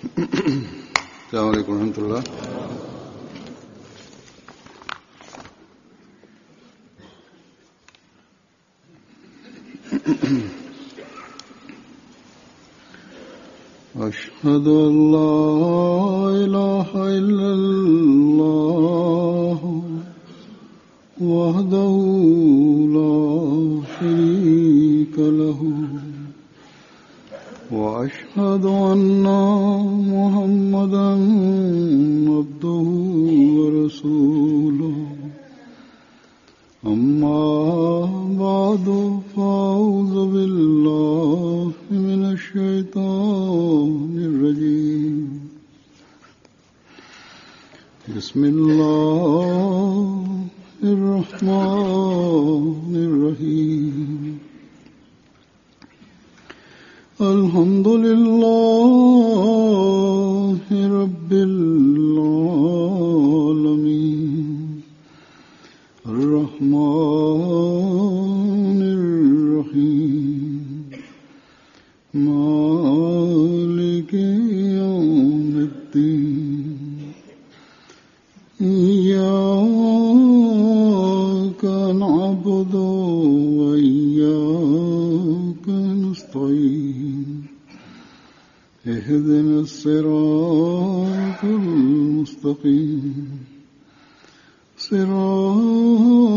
السلام عليڪم ورحمة الله. أشهد أن لا إله إلا الله وحده لا شريك له وأشهد أن محمدا عبده ورسوله أما بعد فأعوذ بالله من الشيطان الرجيم بسم الله الرحمن الرحيم الحمد لله رب العالمين الرحمن الرحيم مالك يوم الدين إياك نعبد وإياك نستعين اهدنا الصراط المستقيم صراط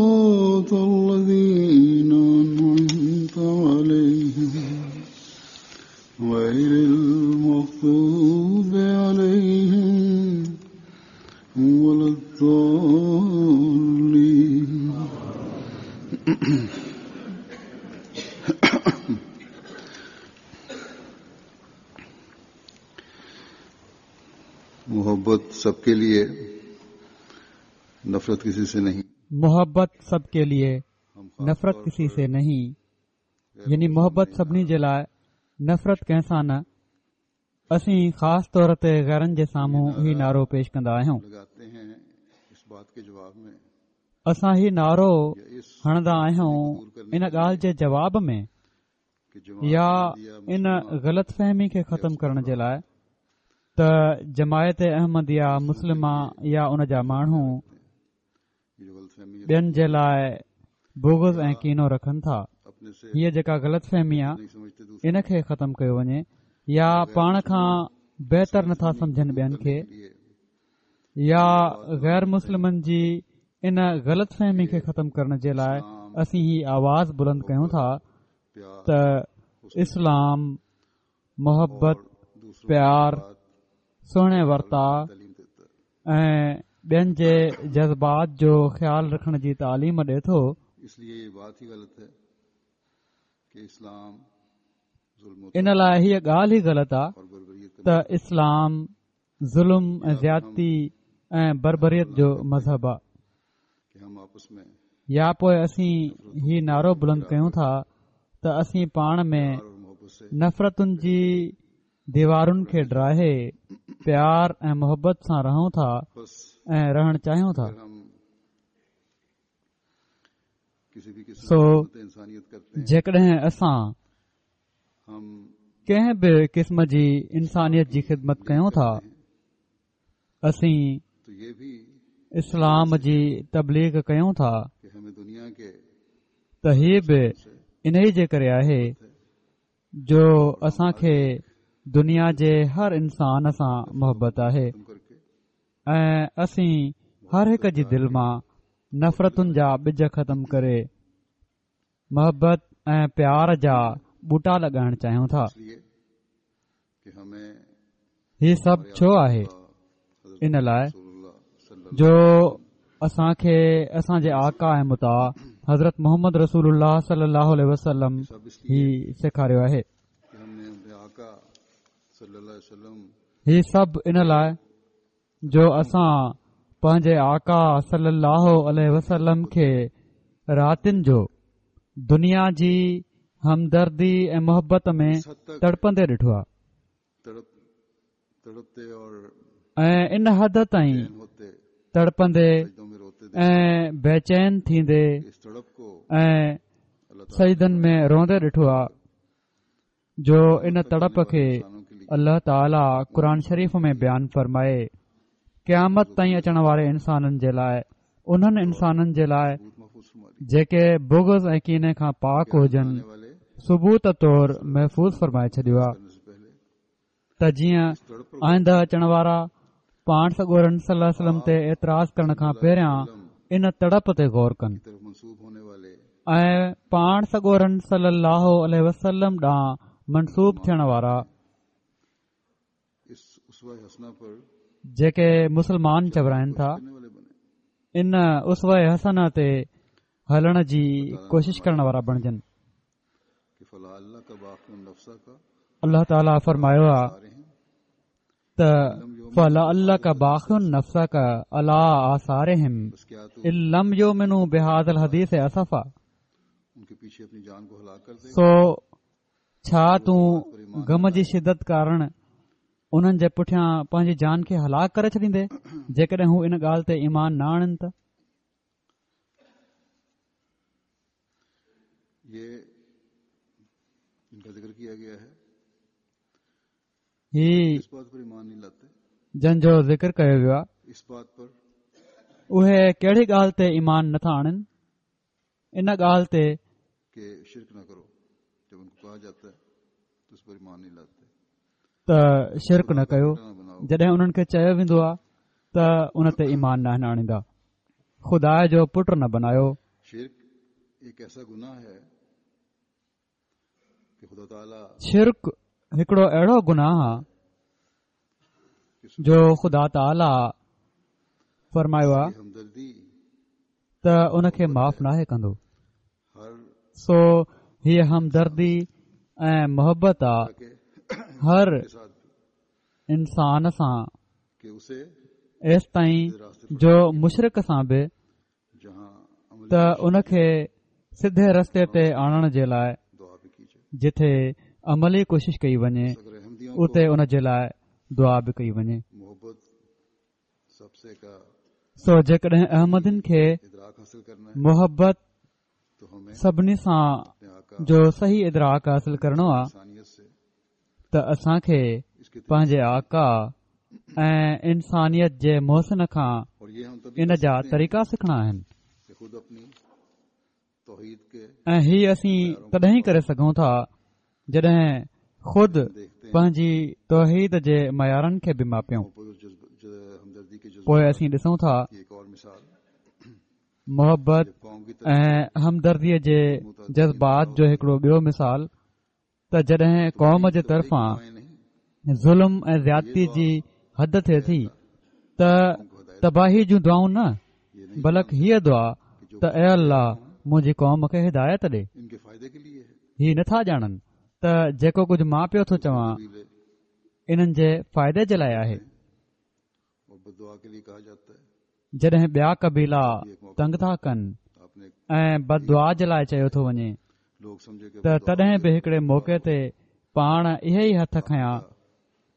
الذين أنعمت عليهم غير المغضوب عليهم ولا الضالين. मोहब्बत सबके लिए, नफरत किसी से नहीं. मोहब्बत सबके लिए, नफरत किसी से नहीं. यानी मोहब्बत सभिनी जे लाइ, नफ़रत कंहिं सां न. असीं ख़ासि तौर ते ग़ैरनि जे साम्हूं ही नारो पेश कंदा आहियूं. असां ही नारो हणंदा आहियूं इन ॻाल्हि जे जवाब में या इन ग़लति फ़हमी खे ख़तम करण जे लाइ त जमायत अहमदिया मुस्लिमा या उन जा माण्हू ॿियनि जे लाइ बुग़्ज़ ऐं कीनो रखनि था. हीअ जेका ग़लति फ़हमी आहे इन खे ख़तम कयो वञे या पाण खां बहितर नथा सम्झनि ॿियनि खे या ग़ैर मुस्लिमनि जी इन ग़लति फ़हमी खे ख़तम करण जे लाइ असीं ही आवाज़ बुलंद कयूं था त इस्लाम मोहबत, प्यार, सुहिणे वर्ताउ ऐं ॿियनि जे जज़्बात जो ख़्याल रखण जी तालीम ॾिए थो. इन लाइ हीअ ॻाल्हि ई ग़लति आहे त इस्लाम ज़ुल्म ऐं ज़ियादती ऐं बर्बरियत जो मज़हब आहे. या पोइ असीं ही नारो बुलंद कयूं था त असीं पाण में नफ़रतुनि जी दीवारुनि खे ड्राहे प्यार ऐं मोहबत सां रहूं था ऐं रहण चाहियूं था. सो जेकॾहिं असां कंहिं बि क़िस्म जी इंसानियत जी ख़िदमत कयूं था, असीं इस्लाम जी तबलीग कयूं था, त हीअ बि इन्ही जे करे आहे जो असांखे दुनिया जे हर इंसान सां मोहबत आहे ऐं असीं हर हिक जी दिलि मां नफ़रतुनि जा ॿिज ख़तम करे मोहबत ऐं प्यार जा ॿूटा लॻाइण चाहियूं था. ही सभु छो आहे? इन लाइ जो असांखे असांजे आका ऐं मुता हज़रत मोहम्मद रसूलुल्लाह सल्लल्लाहु अलैहि वसल्लम ही सेखारियो आहे. ही सभु इन लाइ जो असां पंहिंजे आका सल्लल्लाहु अलैहि वसल्लम खे रातियुनि जो दुनिया जी हमदर्दी ऐं मोहबत में तड़पंदे ॾिठो आहे ऐं इन हद ताईं तड़पंदे ऐं बेचैन थींदे ऐं सजदनि में रोंदे ॾिठो आहे जो इन तड़प खे الله تعاليٰ قرآن شريف ۾ بيان فرمائي قيامت تائين اچڻ واري انسانن جي لاء انهن انسانن جي لاء جيڪي بغض ۽ ڪيني کان پاڪ هجن ثبوت طور محفوظ فرمائي ڇڏيو آهي ته جيئن آئنده اچڻ وارا پاڻ سڳورن صلي الله عليه وسلم تي اعتراض ڪرڻ کان پهريان ان تڙپ تي غور ڪن ۽ پاڻ سڳورن صلي الله عليه وسلم ڏانهن منسوب ٿيڻ وارا جيڪي مسلمان چورائن ٿا ان اسوه حسنه تي هلڻ جي ڪوشش ڪرڻ وارا بڻجن الله تعاليٰ فرمايو آ ته فلعلک باخع نفسک علي آثارهم ان لم يؤمنوا بهذا الحديث اسفا سو ڇا تون غم جي شدت ڪارڻ انهن جي پٺيان پنهنجي جان کي هلاڪ ڪري ڇڏيندين جيڪڏهن هو ان ڳالهه تي ايمان نه آڻن ته؟ هي جن جو ذڪر ڪيو ويو آهي اهي ڪهڙي ڳالهه تي ايمان نٿا آڻن؟ ان ڳالهه تي ته شرڪ نه ڪيو جڏهن انهن کي چيو ويندو آهي ته ان تي ايمان ناهن آڻيندا خدا جو پٽ نه بنايو شرڪ هڪڙو اهڙو گناهه آ جو خدا تعاليٰ فرمايو آ ته ان کي معاف ناهي ڪندو سو هيء همدردي ۽ محبت آ هر انسان سان ايستائين جو مشرڪ سان به ته ان کي سڌي رستي تي آڻڻ جي لاء جٿي عملي ڪوشش ڪئي وڃي اتي ان جي لاء دعا به ڪئي وڃي سو جيڪڏهن احمدين کي محبت سڀني سان جو صحيح ادراڪ حاصل ڪرڻو آ ته اسان کي پنهنجي آقا ۽ انسانيت جي محسن کان ان جا طريقا سکڻا آهن ۽ هي اسين تڏهن ئي ڪري سگهون ٿا جڏهن خود پنهنجي توحيد جي معيارن کي به ماپيون پوء اسين ڏسون ٿا محبت ۽ همدرديء جي جذبات جو هڪڙو ٻيو مثال ته جڏهن قوم جي طرفان ظلم ۽ زيادتي جي حد ٿئي ٿي ته تباهي جون دعائون نه بلڪ هيء دعا ته اي الله منهنجي قوم کي هدايت ڏي هي نٿا ڄاڻن ته جيڪو ڪجهه مان پيو ٿو چوان انهن جي فائدي جي لاء آهي جڏهن ٻيا قبيلا تنگ ٿا ڪن ۽ بد دعا جي لاء چيو ٿو وڃي ته تڏهن به هڪڙي موقعي تي پاڻ اهي ئي هٿ کنيا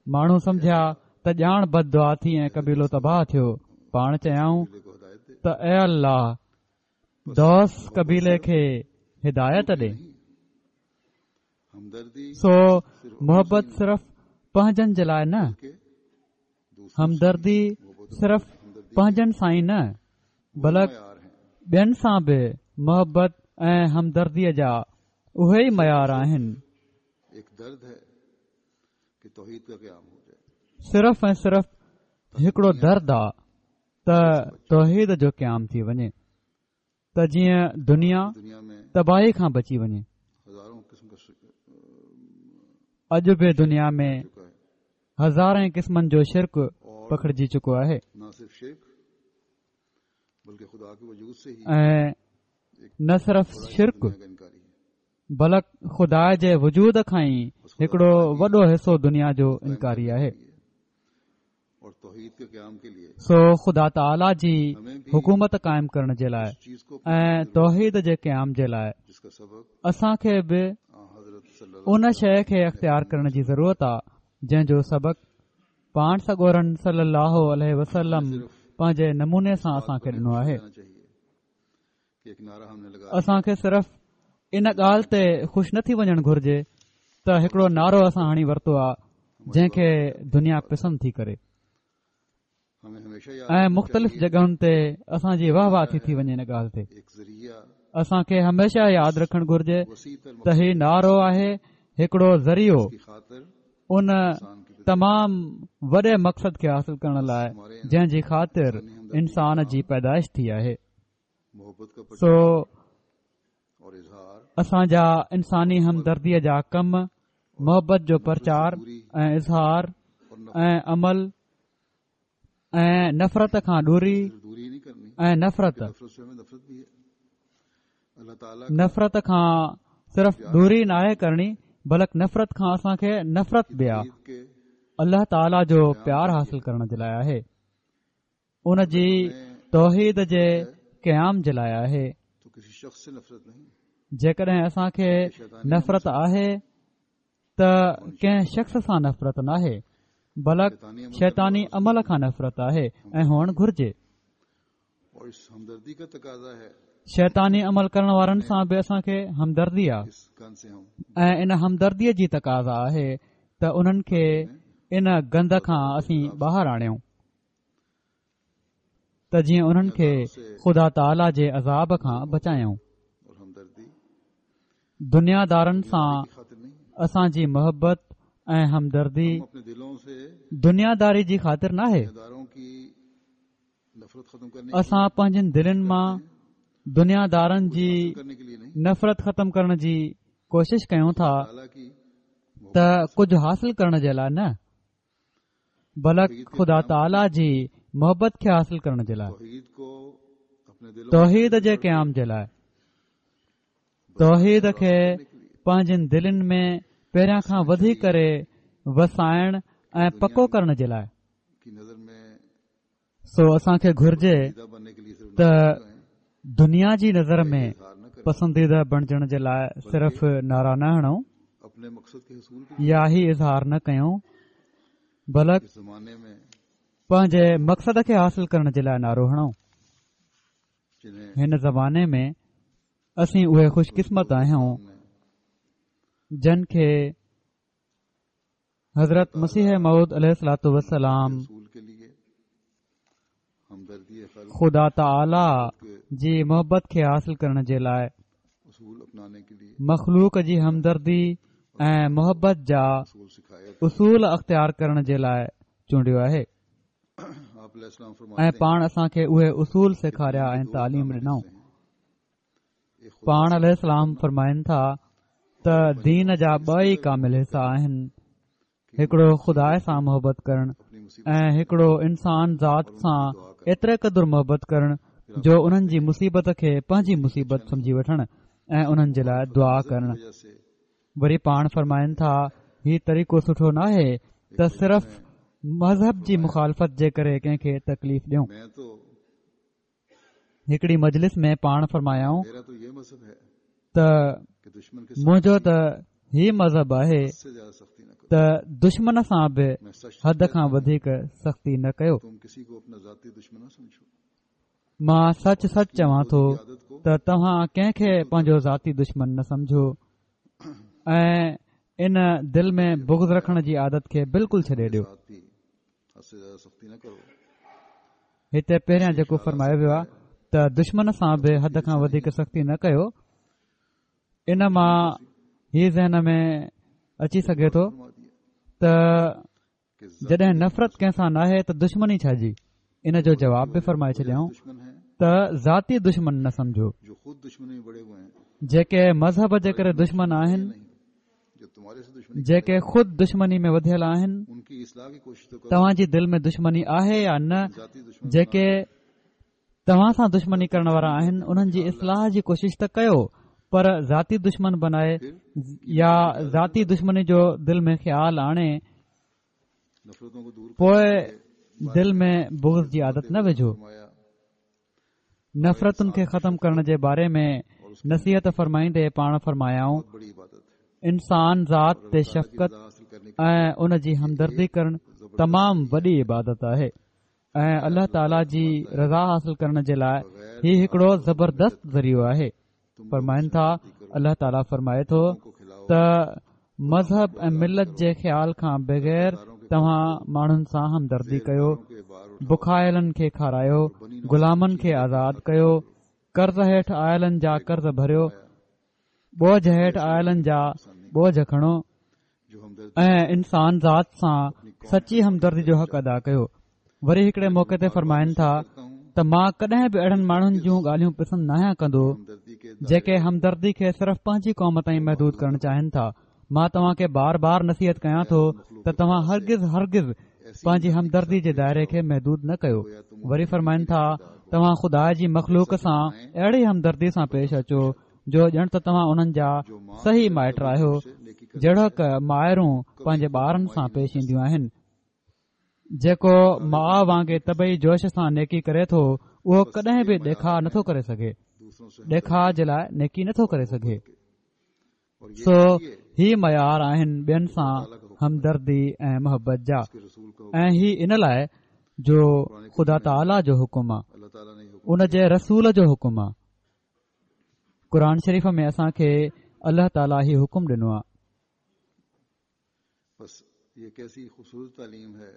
ماڻهو سمجهيا ته ڄاڻ بد دعا ٿي ۽ قبيلو تباهه ٿيو پاڻ چيائون ته اي الله دوس قبيلي کي هدايت ڏي سو محبت صرف پنهنجن جي لاء نه همدردي صرف پنهنجن سان ئي نه بلڪ ٻين سان به محبت ۽ همدرديء جا اهي ئي معيار آهن صرف ۽ صرف هڪڙو درد آ ته توحيد جو قيام ٿي وڃي ته جيئن دنيا تباهي کان بچي وڃي. اڄ به دنيا ۾ هزارين قسمن جو شرڪ پکڙجي چڪو آهي ۽ نه صرف شرڪ بلڪ خدا جي وجود کان ئي هڪڙو وڏو حصو دنيا جو انڪاري آهي. سو خدا تعاليٰ جي حڪومت قائم ڪرڻ جي لاء ۽ توحيد جي قيام جي لاء اسان کي به ان شيء کي اختيار ڪرڻ جي ضرورت آ جنهن جو سبق پاڻ سڳورن صلي الله عليه وسلم پنهنجي نموني سان اسان کي ڏنو آهي اسان کي صرف ان ڳالهه تي خوش نه ٿي وڃڻ گهرجي ته هڪڙو نعرو اسان هڻي ورتو آ. جنهن کي دنيا پسند ٿي ڪري ۽ مختلف جڳهن تي اسان جي واهه واهه ٿي ٿي وڃي ان ڳالهه تي. اسان کي هميشه ياد رکڻ گهرجي ته هي نعرو آهي هڪڙو ذريعو ان تمام وڏي مقصد کي حاصل ڪرڻ لاء جنهن جي خاطر انسان جي پيدائش ٿي آهي. سو اسان جا انساني همدرديء جا ڪم، محبت جو پرچار ۽ اظهار ۽ عمل ۽ نفرت کان دوري ۽ نفرت نفرت کان صرف دوري ناهي ڪرڻي بلڪ نفرت کان اسان کي نفرت به آ الله تعاليٰ جو پيار حاصل ڪرڻ جي لاء آهي. ان جي توحيد جي قيام جي لاء آهي. جيڪڏهن اسان کي نفرت آهي ته ڪنهن شخص سان نفرت ناهي بلڪ شيطاني عمل کان نفرت آهي ۽ هئڻ گهرجي. شيطاني عمل ڪرڻ وارن سان به اسان کي همدردي آهي ۽ ان همدردي جي تقاضا آهي ته انهن کي ان گند کان اسين ٻاهر آڻيون. ته جيئن انهن کي خدا تعاليٰ جي عذاب کان بچايون. دنيا دارن سان اسان جي محبت ۽ همدردي دنيا داري جي خاطر ناهي. اسان پنهنجين دلين مان دنيا دارن جي نفرت ختم ڪرڻ جي ڪوشش ڪيون ٿا ته ڪجهه حاصل ڪرڻ جي لاء نه بلڪ خدا تعاليٰ جي محبت کي حاصل ڪرڻ جي لاء، توحيد جي قيام جي لاء، توحيد کي پنهنجين دلين ۾ پهريان کان وڌي ڪري وسائڻ ۽ پڪو ڪرڻ جي لاء. سو اسان کي گهرجي ته دنيا جي نظر ۾ پسنديده بڻجڻ جي لاء صرف نعرا نه هڻون يا هي اظهار نه ڪيون بلڪ پنهنجي مقصد کي حاصل ڪرڻ جي لاء نعرو هڻون. هن زماني ۾ اسين اهي خوش قسمت آهيون جن کي حضرت مسيح موعود عليه الصلوة والسلام خدا تعاليٰ جي محبت کي حاصل ڪرڻ جي لاء مخلوق جي همدردي ۽ محبت جا اصول اختيار ڪرڻ جي لاء چونڊيو آهي ۽ پاڻ اسان کي اهي اصول سيکاريا ۽ تعليم ڏنائون. پاڻ عليه السلام فرمائن ٿا ته دين جا ٻه ئي ڪامل حصا آهن، هڪڙو خدا سان محبت ڪرڻ ۽ هڪڙو انسان ذات سان ايتري قدر محبت ڪرڻ جو انهن جي مصيبت کي پنهنجي مصيبت سمجهي وٺڻ ۽ انهن جي لاء دعا ڪرڻ. وري پاڻ فرمائن ٿا هي طريقو سٺو ناهي ته صرف مذهب جي مخالفت جي ڪري ڪنهن کي تڪليف ڏيون. هڪڙي مجلس ۾ پاڻ فرمايائون ته منهنجو ته هي مذهب آهي ته دشمن سان به حد کان وڌيڪ سختي نه ڪيو. مان سچ سچ چوان ٿو ته توهان ڪنهن کي پنهنجو ذاتي دشمن نه سمجهو ۽ ان دل ۾ بغض رکڻ جي عادت کي بلڪل ڇڏي ڏيو. هتي پهريان جيڪو فرمايو ويو آهي ته دشمن سان به حد کان وڌيڪ سختي نه ڪيو، ان مان هي ذهن ۾ اچي سگهي ٿو ته جڏهن نفرت ڪنهن سان ناهي ته دشمني ڇا جي؟ ان جو جواب به فرمائي ڇڏيائون ته ذاتي دشمن نه سمجهو، جيڪي مذهب جي ڪري دشمن آهن، جيڪي خود دشمني ۾ وڌيل آهن، توهان جي دل ۾ دشمني آهي يا نه، جيڪي توهان سان دشمني ڪرڻ وارا آهن انهن جي اصلاح جي ڪوشش ته ڪيو پر ذاتي دشمن بنائي يا ذاتي دشمني جو دل ۾ خيال آڻي پوء دل ۾ بغض جي عادت نه وجهو. نفرتن کي ختم ڪرڻ جي باري ۾ نصيحت فرمائيندي پاڻ فرمايائون، انسان ذات تي شفقت ۽ ان جي همدردي ڪرڻ تمام وڏي عبادت آهي ۽ الله تعاليٰ جي رضا حاصل ڪرڻ جي لاء هي هڪڙو زبردست ذريعو آهي. فرمائن ٿا، الله تعاليٰ فرمائي ٿو ته. مذهب ۽ ملت جي خيال کان بغير توهان ماڻهن سان همدردي ڪيو، بکايلن کي کارايو، غلامن کي آزاد ڪيو، قرض هيٺ آيلن جا قرض ڀريو، ٻوجهه هيٺ آيلن جا ٻوجهه کڻو ۽ انسان ذات سان سچي همدردي جو حق ادا ڪيو. وري هڪڙي موقعي تي فرمائن ٿا ته مان ڪڏهن به اهڙن ماڻهن جون ڳالهيون پسند ناهيان ڪندو جيڪي همدردي کي صرف پنهنجي قوم تائين محدود ڪرڻ چاهين ٿا. مان توهان کي بار بار نصيحت ڪيان ٿو ته توهان هرگز هرگز پنهنجي همدردي جي دائري کي محدود نه ڪيو. وري فرمائن ٿا توهان خدا جي مخلوق سان اهڙي همدردي سان پيش اچو جو ڄڻ ته توهان انهن جا صحيح مائٽ آهيو جهڙوڪ مائرون پنهنجي ٻارن سان پيش اينديون آهن. جيڪو ماء وانگي طبعي جوش سان نيڪي ڪري ٿو اهو ڪڏهن به ڏيکاء نٿو ڪري سگهي ڏيکاء جي لاء نيڪي نٿو ڪري سگهي سو هي معيار آهن ٻين سان همدردي ۽ محبت جا ۽ هي ان لاء جو خدا تعاليٰ جو حڪم آ ان جي رسول جو حڪم آ قرآن شريف ۾ اسان کي الله تعاليٰ هي حڪم ڏنو آ بس يه ڪيسي خوبصورت تعليم هي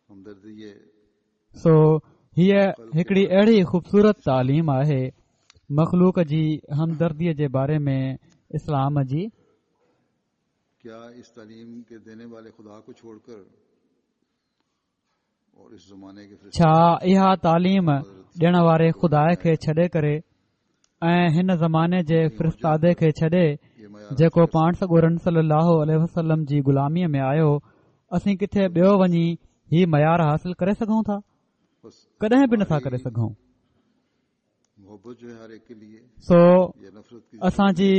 همدردي يه. سو هيء هڪڙي اهڙي خوبصورت تعليم آهي مخلوق جي همدرديء جي باري ۾ اسلام جي. ڪيا اس تعليم ڪي ديني والي خدا ڪو ڇوڙ ڪر ڇا اها تعليم ڏيڻ واري خدا کي ڇڏي ڪري ۽ هن زماني جي فرستادي کي ڇڏي جيڪو پاڻ سڳورن صلي الله عليه وسلم جي غلاميء ۾ آيو اسين ڪٿي ٻيو وڃي هي معيار حاصل ڪري سگهون ٿا ڪڏهن به نٿا ڪري سگهون سو اسان جي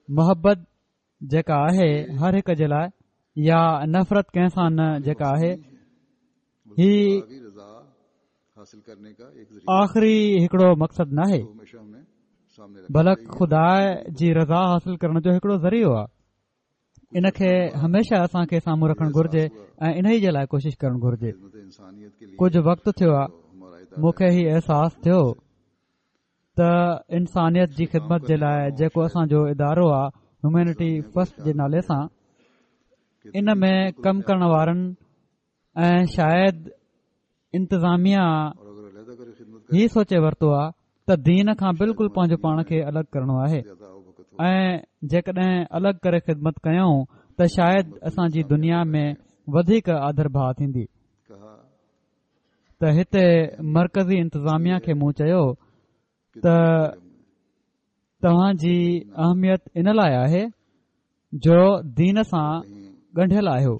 محبت جيڪا آهي هر هڪ جي لاء يا نفرت ڪنهن سان نه جيڪا آهي هي آخري هڪڙو مقصد ناهي بلڪ خدا جي رضا حاصل ڪرڻ جو هڪڙو ذريعو آهي ان کي هميشه اسان کي سامهون رکڻ گهرجي ۽ ان ئي جي لاء ڪوشش ڪرڻ گهرجي ڪجهه وقت ٿيو آهي مون کي هي احساس ٿيو ته انسانيت جي خدمت جي لاء جيڪو اسان جو ادارو آ هيومينٽي فرسٽ جي نالي سان ان ۾ ڪم ڪرڻ وارن ۽ شايد انتظاميا هي سوچي ورتو آ ته دين کان بلڪل پنهنجو پاڻ کي الڳ ڪرڻو آهي ۽ جيڪڏهن الڳ ڪري خدمت ڪيون ته شايد اسان جي دنيا ۾ وڌيڪ آڌر ڀاء ٿيندي ته هتي مرڪزي انتظاميا کي مون چيو ته توهان جي اهميت ان لاء آهي جو دين سان ڳنڍيل آهيو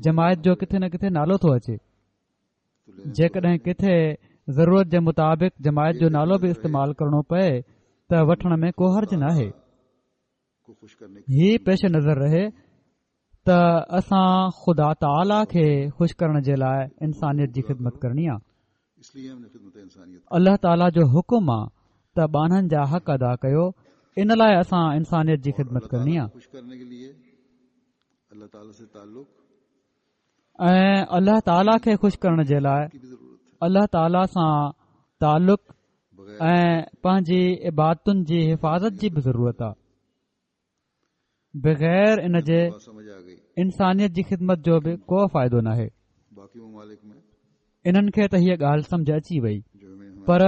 جماعت جو ڪٿي نه ڪٿي نالو ٿو اچي جيڪڏهن ڪٿي ضرورت جي مطابق جماعت جو نالو به استعمال ڪرڻو پئي ته وٺڻ ۾ ڪو حرج ناهي هي پيش نظر رهي ته اسان خدا تعاليٰ کي خوش ڪرڻ جي لاء انسانيت جي خدمت ڪرڻي آ الله تعاليٰ جو حڪم آ ته ٻانهن جا حق ادا ڪيو ان لاء اسان انسانيت جي خدمت ڪرڻي آ ۽ الله تعاليٰ کي خوش ڪرڻ جي لاء الله تعاليٰ سان تعلق ۽ پنهنجي عبادتن جي حفاظت جي به ضرورت آ بغير ان جي انسانيت جي خدمت جو به ڪو فائدو ناهي انهن کي ته هيء ڳالهه سمجه اچي وئي پر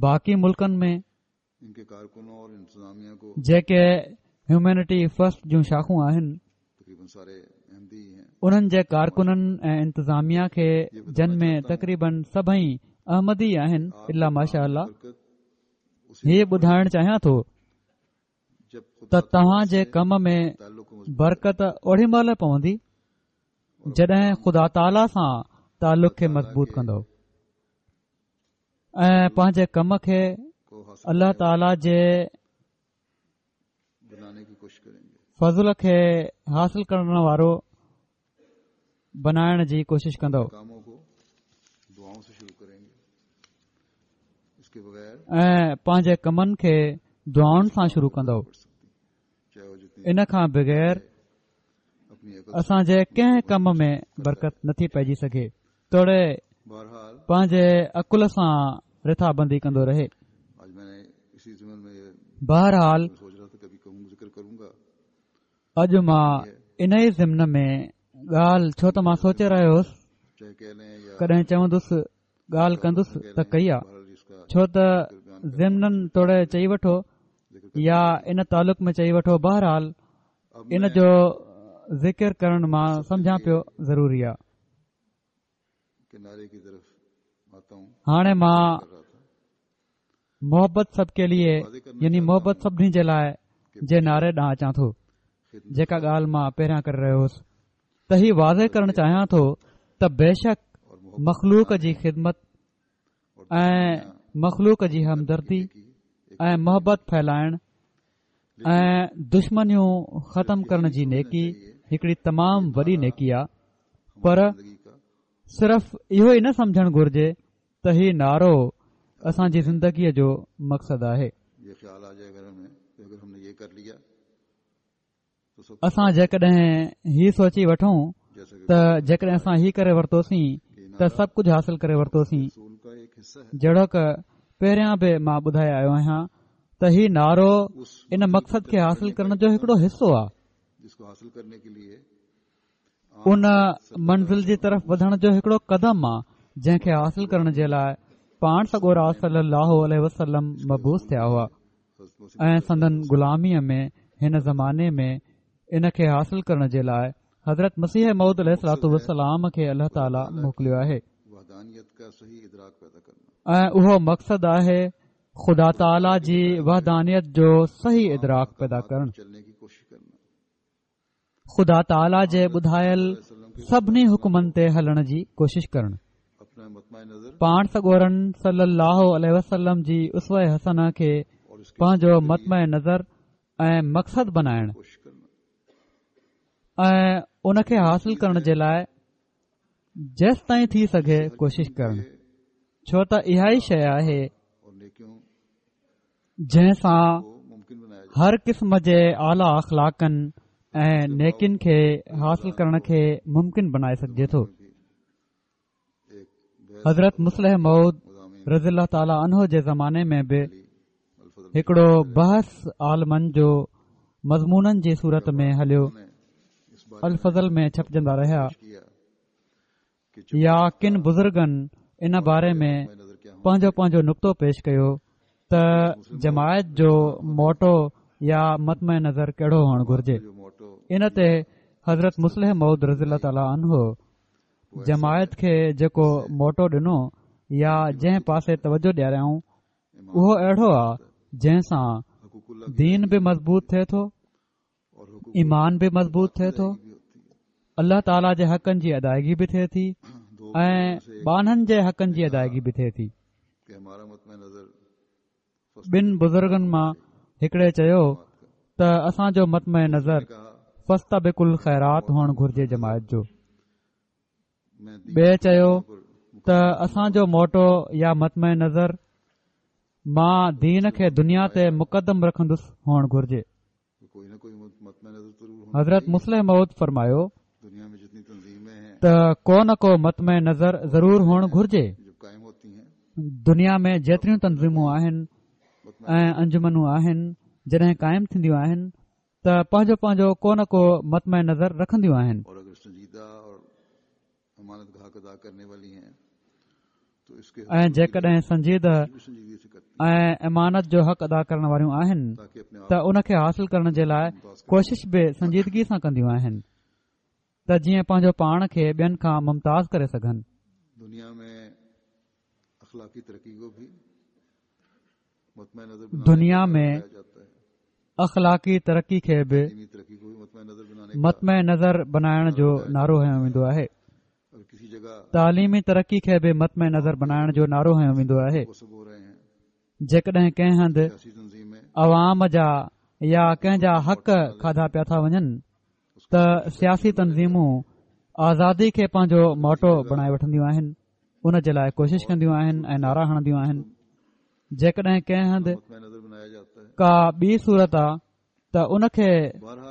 باقي ملڪن ۾ جيڪي هيومينٽي فرسٽ جون شاخون آهن انهن جي ڪارڪنن ۽ انتظاميا کي جن ۾ تقريبن سڀئي احمدي آهن الا ماشاء الله هي ٻڌائڻ چاهيان ٿو ته توهان جي ڪم ۾ برڪت اوڏي مهل پوندي جڏهن خدا تعاليٰ سان تعلق کي مضبوط ڪندؤ ۽ پنهنجي ڪم کي الله تعاليٰ جي فضل کي حاصل ڪرڻ وارو بنائڻ جي ڪوشش ڪندؤ ۽ پنهنجي ڪمن کي دعائن سان شروع ڪندؤ ان کان بغير اسان جي ڪنهن ڪم ۾ برڪت نٿي پئجي سگهي توڙي پنهنجي عقل سان رٿابندي ڪندو رهي بهرحال اڄ مان ان ئي ضمن ۾ ڳالهه ڇو ته مان سوچي رهيو هوس ڪڏهن چوندس ڳالهه ڪندس ته ڪئي آ ڇو ته ضمناً توڙي چئي وٺو يا ان تعلق ۾ چئي وٺو بهرحال ان جو ذڪر ڪرڻ مان سمجهان پيو ضروري آ هاڻي مان محبت سب ڪي ليي يعني محبت سڀني جي لاء جي نعري ڏانهن اچان ٿو جيڪا ڳالهه مان پهريان ڪري رهيو هوس ته هي واضح ڪرڻ چاهيان ٿو ته بيشڪ مخلوق جي خدمت ۽ مخلوق جي همدردي ۽ محبت ڦهلائڻ ۽ دشمنيون ختم ڪرڻ جي نيڪي هڪڙي تمام وڏي نيڪي آ پر صرف اهو ئي نه سمجهڻ گهرجي ته هي نعرو اسان جي زندگيء جو مقصد آهي. اسان جيڪڏهن هي سوچي وٺون ته جيڪڏهن اسان هي ڪري ورتوسين ته سڀ ڪجهه حاصل ڪري ورتوسين جهڙوڪ پهريان به مان ٻڌائي آيو آهيان ته هي نعرو ان مقصد کي حاصل ڪرڻ جو هڪڙو حصو آهي. ان منزل جي طرف وڌڻ جو هڪڙو قدم آ جنهن کي حاصل ڪرڻ جي لاء پاڻ سڳورا صلي الله عليه وسلم مبعوث ٿيا هئا ۽ سندن غلاميء ۾ هن زماني ۾ ان کي حاصل ڪرڻ جي لاء حضرت مسيح موعود عليه الصلوٰة والسلام کي الله تعاليٰ موڪليو آهي ۽ اهو مقصد آهي خدا تعاليٰ جي وحدانيت جو صحيح ادراڪ پيدا ڪرڻ. خدا تعاليٰ جي ٻڌايل سڀني حڪمن تي هلڻ جي ڪوشش ڪرڻ. پاڻ سڳورن صلي الله عليه وسلم جي اسوه حسنه کي پنهنجو مطمع نظر ۽ مقصد بنائڻ ۽ ان کي حاصل ڪرڻ جي لاء جيستائين ٿي سگهي ڪوشش ڪرڻ ڇو ته اها ئي شيء آهي جنهن سان هر قسم جي اعليٰ اخلاقن ۽ نيڪين کي حاصل ڪرڻ کي ممڪن بنائي سگهجي ٿو. حضرت مصلح موعود رضي الله تعاليٰ عنه جي زماني ۾ به هڪڙو بحث عالمن جو مضمونن جي صورت ۾ هليو الفضل ۾ ڇپجندا رهيا يا ڪن بزرگن ان باري ۾ پنهنجو پنهنجو نڪتو پيش ڪيو ته جماعت جو موٽو يا مطمع نظر ڪهڙو هئڻ گهرجي ان تي حضرت مصلح موعود رضي الله تعاليٰ عنه جماعت کي جيڪو موٽو ڏنو يا جنهن پاسي توجه ڏياريائون اهو اهڙو آ جنهن سان دين به مضبوط ٿئي ٿو ايمان به مضبوط ٿئي ٿو الله تعاليٰ جي حقن جي ادائگي به ٿئي ٿي ۽ ٻانهن جي حقن جي ادائگي به ٿئي ٿي ٻن بزرگن مان هڪڙي چيو ته اسان جو مطمع نظر فاستبقوا الخيرات هئڻ گهرجي جماعت جو ٻئي چيو ته اسان جو موٽو يا مطمع نظر مان دين کي دنيا تي مقدم رکندس هئڻ گهرجي حضرت مصلح موعود فرمايو ته ڪو نه ڪو مطمع نظر ضرور هئڻ گهرجي دنيا ۾ جيتريون تنظيمون آهن ۽ انجمنون آهن جڏهن قائم ٿينديون آهن ته پنهنجو پنهنجو ڪو نه ڪو مطمع نظر رکنديون آهن ۽ جيڪڏهن سنجيده ۽ امانت جو حق ادا ڪرڻ واريون آهن ته ان کي حاصل ڪرڻ جي لاء ڪوشش به سنجيدگي سان ڪنديون آهن ته جيئن پنهنجو پاڻ کي ٻين کان ممتاز ڪري سگهن. دنيا ۾ اخلاقي ترقي کي به مطمع نظر بنائڻ جو نعرو هنيو ويندو آهي تعليمي ترقي کي به مطمع نظر بنائڻ جو نعرو هنيو ويندو آهي جيڪڏهن ڪنهن هنڌ عوام جا يا ڪنهن جا حق کاڌا پيا ٿا وڃن ته سياسي تنظيمون آزادي کي پنهنجو موٽو بڻائي وٺنديون آهن ان جي لاء ڪوشش ڪنديون آهن ۽ نعرا هڻنديون آهن جيڪڏهن ڪنهن هنڌ ڪا ٻي صورت آ ته ان کي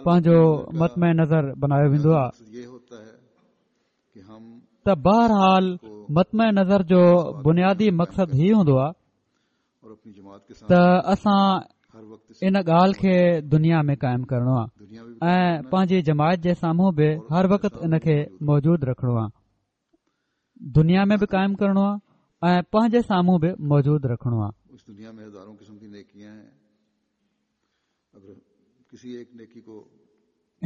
پنهنجو مطمع نظر بنايو ويندو آ ته بهرحال مطمع نظر جو بنيادي مقصد هي هوندو آ ته اسان ان ڳالهه کي دنيا ۾ قائم ڪرڻو آهي ۽ پنهنجي جماعت جي سامهون به هر وقت ان کي موجود رکڻو آهي دنيا ۾ به قائم ڪرڻو آهي ۽ پنهنجي سامهون به موجود رکڻو آهي.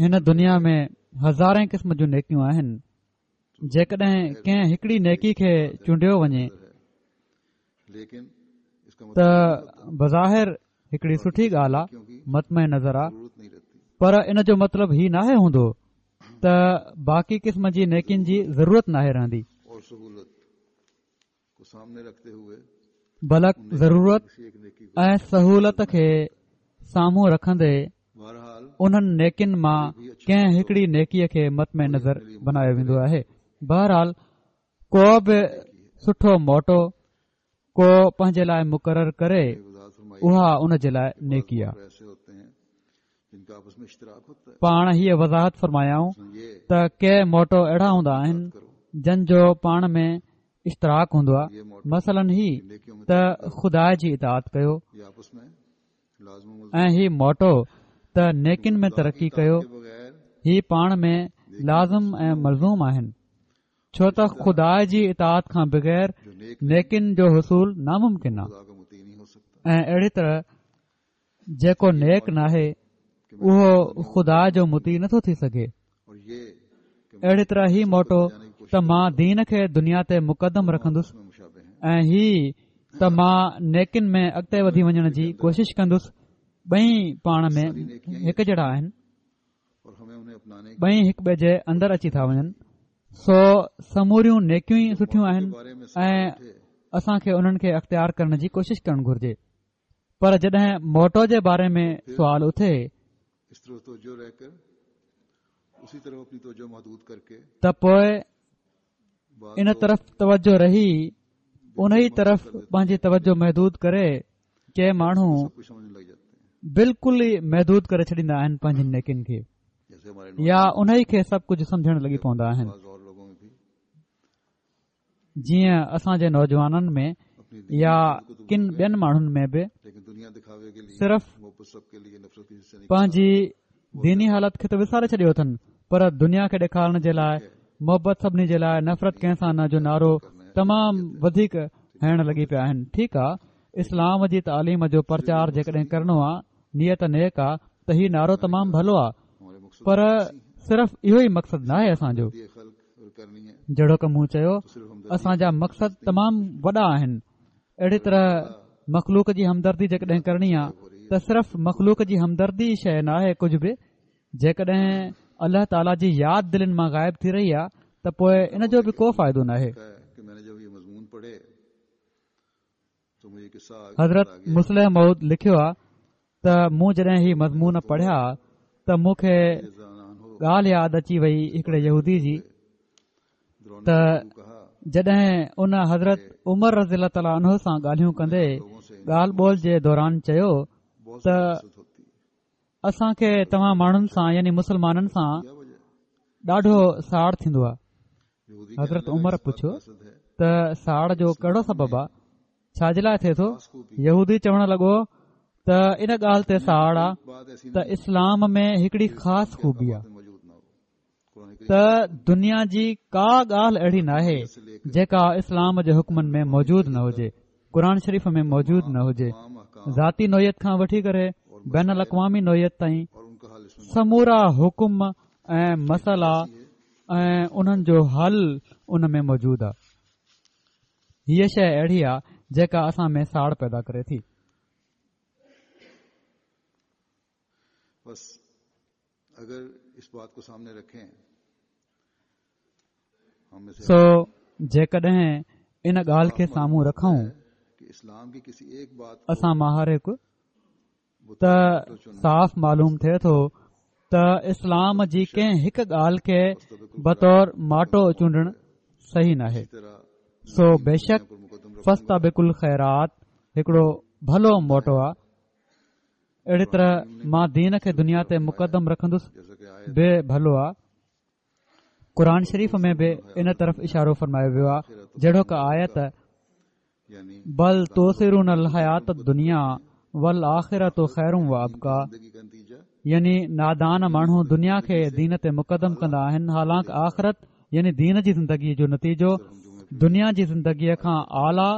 هن دنيا ۾ هزارين قسم جون نيڪيون آهن جيڪڏهن ڪنهن هڪڙي نيڪي کي چونڊيو وڃي ته بظاهر هڪڙي سٺي ڳالهه آ مطمع نظر آ پر ان جو مطلب هي ناهي هوندو ته باقي قسم جي نيڪين جي ضرورت ناهي رهندي بلڪ ضرورت ۽ سهولت کي سامهون رکندي انهن نيڪين مان ڪنهن هڪڙي نيڪي کي مطمع نظر بنايو ويندو آهي بهرحال ڪو به سٺو موٽو ڪو پنهنجي لاء مقرر ڪري اها ان جي لاء نيڪي آهي پاڻ هيء وضاحت فرمايائون ته ڪي موٽو اهڙا هوندا آهن جن جو پاڻ ۾ اشتراڪ هوندو آهي مثلاً هي ته خدا جي اطاعت ڪيو ۽ هي موٽو ته نيڪين ۾ ترقي ڪيو هي پاڻ ۾ لازم ۽ ملزوم آهن ڇو ته خدا جي اطاعت کان بغير نيڪين جو حصول ناممڪن آهي ۽ اهڙي طرح جيڪو نيڪ ناهي اهو خدا جو مطيع نٿو ٿي سگهي اهڙي طرح هي موٽو ته مان دين کي دنيا تي مقدم رکندس ۽ هي ته مان نيڪين ۾ اڳتي وڌي وڃڻ جي ڪوشش ڪندس ٻئي پاڻ ۾ هڪ جهڙا آهن ٻئي هڪ ٻئي جي اندر اچي ٿا وڃن سو سموريون نيڪيون ئي سٺيون آهن ۽ اسان کي انهن کي اختيار ڪرڻ جي ڪوشش ڪرڻ گهرجي پر جڏهن موٽو جي باري ۾ سوال اٿي ته پوء ان طرف توجه رهي ان ئي طرف پنهنجي توجه محدود ڪري ڪي ماڻهو بلڪل ئي محدود ڪري ڇڏيندا آهن پنهنجين نيڪين کي يا ان ئي کي سڀ ڪجهه سمجهڻ لڳي پوندا آهن جيئن اسان جي نوجوانن ۾ يا ڪن ٻين ماڻهن ۾ به صرف پنهنجي ديني حالت کي ته وساري ڇڏيو اٿن پر دنيا کي ڏيکارڻ جي لاء محبت سڀني جي لاء نفرت ڪنهن سان نه جو نعرو تمام وڌيڪ هڻڻ لڳي پيا آهن ٺيڪ آ اسلام جي تعليم جو پرچار جيڪڏهن ڪرڻو آ نيت نيڪ آ ته هي نعرو تمام ڀلو آ پر صرف اهو ئي مقصد ناهي اسان جو جهڙوڪ مون چيو اسان جا مقصد تمام وڏا آهن اهڙي طرح مخلوق جي همدردي جيڪڏهن ڪرڻي آ ته صرف مخلوق جي همدردي شيء ناهي ڪجهه به جيڪڏهن الله تعاليٰ جي ياد دلين مان غائب ٿي رهي آ ته پوء ان جو به ڪو فائدو ناهي. حضرت مصلح موعود لکيو آ ته مون جڏهن هي مضمون پڙهيا ته مون کي ڳالهه ياد اچي وئي هڪڙي يهودي جي ته جڏهن ان حضرت عمر رضي الله تعاليٰ عنه سان ڳالهيون ڪندي ڳالهه ٻولهه جي دوران چيو ته اسان کي توهان ماڻهن سان يعني مسلمانن سان ڏاڍو ساڙ ٿيندو آهي حضرت عمر پڇيو ته ساڙ جو ڪهڙو سبب آ ڇا جي لاء ٿئي ٿو يهودي چوڻ لڳو ته ان ڳالهه تي ساڙ آ ته اسلام ۾ هڪڙي خاص خوبي آ ته دنيا جي ڪا ڳالهه اهڙي ناهي جيڪا اسلام جي حڪمن ۾ موجود نه هجي قرآن شريف ۾ موجود نه هجي ذاتي نوعيت کان وٺي ڪري بين الاقوامي نوعيت تائين سمورا حڪم ۽ مسئلا ۽ انهن جو حل ان ۾ موجود آهي هيء شيء اهڙي آهي جيڪا اسان ۾ ساڙ پيدا ڪري ٿي بس اگر اس بات کو سامني رکين سو جيڪڏهن ان ڳالهه کي سامهون رکون اسان مان هر هڪ ته صاف معلوم ٿئي ٿو ته اسلام جي ڪنهن هڪ ڳالهه کي بطور ماٽو چونڊڻ صحيح ناهي سو بيشڪ فاستبقوا الخيرات هڪڙو ڀلو موٽو آ اهڙي طرح مان دين کي دنيا تي مقدم رکندس به ڀلو آ قرآن شريف ۾ به ان طرف اشارو فرمايو ويو آهي جهڙوڪ آيت بل تؤثرون الحيات الدنيا والآخرة خير و ابقيٰ يعني نادان ماڻهو دنيا کي دين تي مقدم ڪندا آهن حالانڪ آخرت يعني دين جي زندگي جو نتيجو دنيا جي زندگي کان اعليٰ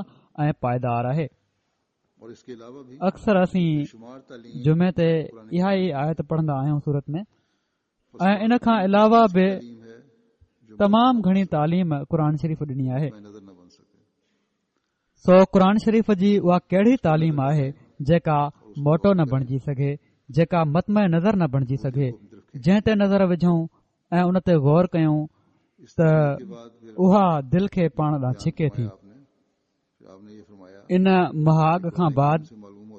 ۽ پائيدار آهي. اڪثر اسين جمعي تي اها ئي آيت پڙهندا آهيون سورت ۾. ۽ ان کان علاوه به تمام گهڻي تعليم قرآن شريف ڏني آهي سو قرآن شريف جي اها ڪهڙي تعليم آهي جيڪا موٽو نه بڻجي سگهي جيڪا مطمع نظر نه بڻجي سگهي جنهن تي نظر وجهون ۽ ان تي غور ڪيون ته اها دل کي پاڻ ڏانهن ڇڪي ٿي ان مهاڳ کان بعد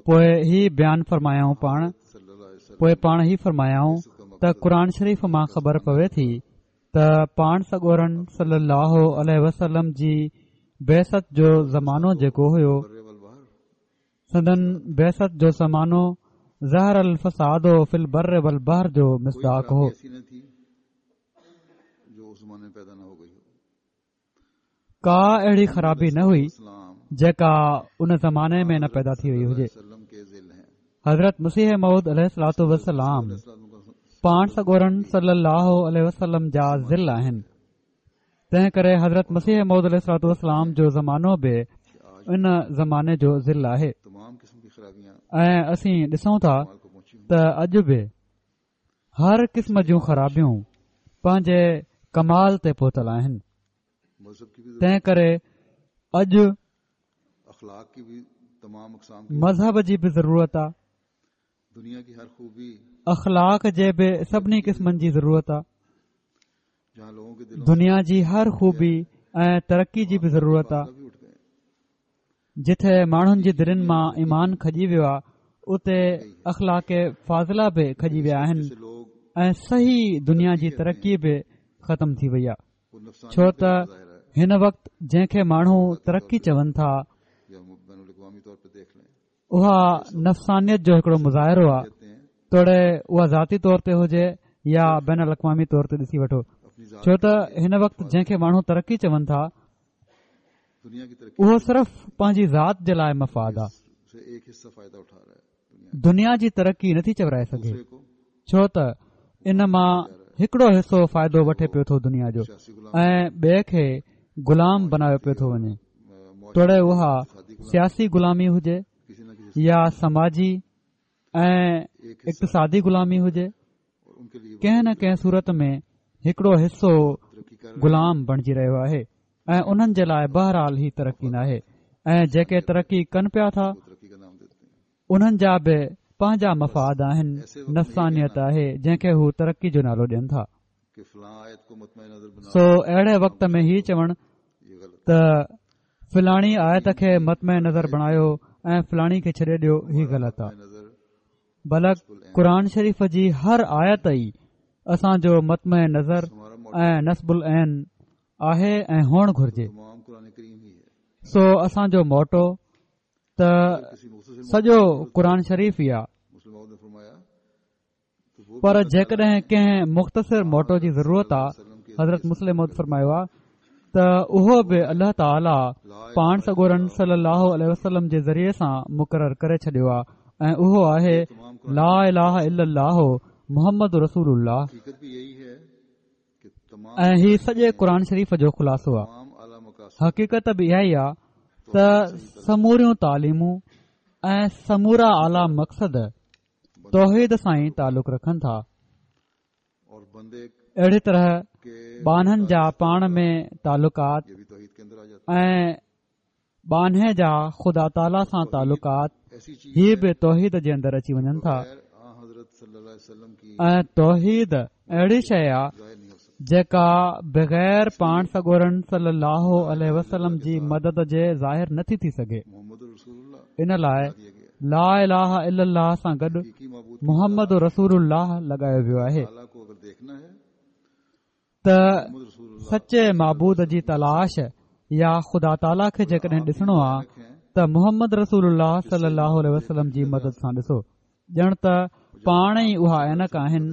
پوء هي بيان فرمايائون پاڻ پوء پاڻ هي فرمايائون ته قرآن شريف مان خبر پوي ٿي ته پاڻ سڳورن صلي الله عليه وسلم جي بعثت جو زمانو جيڪو هيو سندن بعثت جو زمانو ظهر الفساد في البر والبحر جو مصداق هو. ڪا اهڙي خرابي نه هئي جيڪا ان زماني ۾ نه پيدا ٿي وئي هجي حضرت مسيح موعود عليه الصلوٰة والسلام پاڻ سڳورن صلي الله عليه وسلم جا ظل آهن تنهن ڪري حضرت مسيح موعود عليه الصلوٰة والسلام جو زمانو به ان زماني جو ظل آهي ۽ اسين ڏسون ٿا ته اڄ به هر قسم جون خرابيون پنهنجي ڪمال تي پهتل آهن تنهن ڪري اڄ مذهب جي به ضرورت آهي اخلاق جي به سڀني قسمن جي ضرورت آهي دنيا جي هر خوبي ۽ ترقي جي به ضرورت آهي جتي ماڻهن جي دلين مان ايمان کڄي ويو آهي اتي اخلاق فاضله به کڄي ويا آهن ۽ صحيح دنيا جي ترقي به ختم ٿي وئي آهي ڇو ته هن وقت جنهن کي ماڻهو ترقي چون ٿا اها نفسانيت جو هڪڙو مظاهرو آهي توڙي اها ذاتي طور تي هجي يا بين الاقوامي طور تي ڏسي وٺو ڇو ته هن وقت جنهن کي ماڻهو ترقي چون ٿا اهو صرف پنهنجي ذات جي لاء مفاد آ دنيا جي ترقي نٿي چورائي سگهي ڇو ته ان مان هڪڙو حصو فائدو وٺي پيو ٿو دنيا جو ۽ ٻئي کي غلام بنايو پيو ٿو وڃي توڙي اها سياسي غلامي هجي يا سماجي ۽ اقتصادي غلامي هجي ڪنهن نه ڪنهن صورت ۾ هڪڙو حصو غلام بڻجي رهيو آهي ۽ انهن جي لاء بهرحال هي ترقي ناهي ۽ جيڪي ترقي ڪن پيا ٿا انهن جا به پنهنجا مفاد آهن نفسانيت آهي جنهن کي هو ترقي جو نالو ڏين ٿا سو اهڙي وقت ۾ هي چوڻ ته فلاڻي آيت کي مطمع نظر بڻايو ۽ فلاڻي کي ڇڏي ڏيو هي غلط آهي بلڪ قرآن شريف جي هر آيت ئي اسان جو مطمع نظر ۽ نصب العين آهي ۽ هئڻ گهرجي سو اسان جو موٽو ته سڄو قرآن شريف ئي آهي پر جيڪڏهن ڪنهن مختصر موٽو جي ضرورت آ حضرت مصلح موعود فرمايو آ ته اهو به الله تعاليٰ پاڻ سڳورن صلي الله عليه وسلم جي ذريعي سان مقرر ڪري ڇڏيو آ ۽ اهو آهي لا اله الا الله محمد رسول الله ۽ هي سڄي قرآن شريف جو خلاصو آ حقيقت به اها ئي آ ته سموريون تعليمون ۽ سمورا اعليٰ مقصد توحيد سان ئي تعلق رکن ٿا. اهڙي طرح ٻانهن جا پاڻ ۾ تعلقات ۽ ٻانهي جا خدا تعاليٰ سان تعلقات هي به توحيد جي اندر اچي وڃن ٿا ۽ توحيد اهڙي شيء آ جيڪا بغير پاڻ سڳورن صلي الله عليه وسلم جي مدد جي ظاهر نٿي ٿي سگهي ان لاء لا اله الا الله سان گڏ محمد رسول الله لڳايو ويو آهي ته سچي معبود جي تلاش يا خدا تعاليٰ کي جيڪڏهن ڏسڻو آ ته محمد رسول الله صلي الله عليه وسلم جي مدد سان ڏسو ڄڻ ته پاڻ ئي اها عينڪ آهن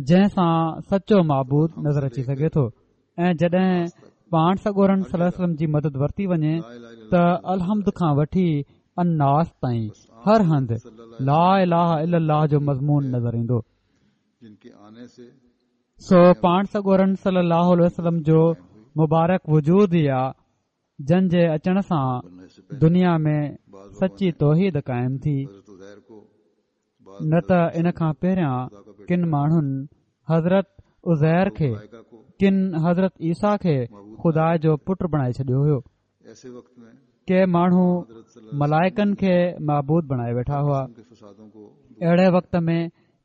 جنهن سان سچو معبود نظر اچي سگهي ٿو ۽ جڏهن پاڻ سڳورن صلي الله عليه وسلم جي مدد ورتي وڃي ته الحمد کان وٺي الناس تائين هر هنڌ لا اله الا الله جو مضمون نظر ايندو. سو پاڻ سڳورن صلي الله عليه وسلم جو مبارڪ وجود ئي آ جن جي اچڻ سان دنيا ۾ سچي توحيد قائم ٿي. نه ته ان کان پهريان ڪن ماڻهن حضرت عزير کي ڪن حضرت عيسيٰ کي خدا جو پٽ بڻائي ڇڏيو هيو. ڪي ماڻهو ملائڪن کي معبود بڻائي ويٺا هئا. اهڙي وقت ۾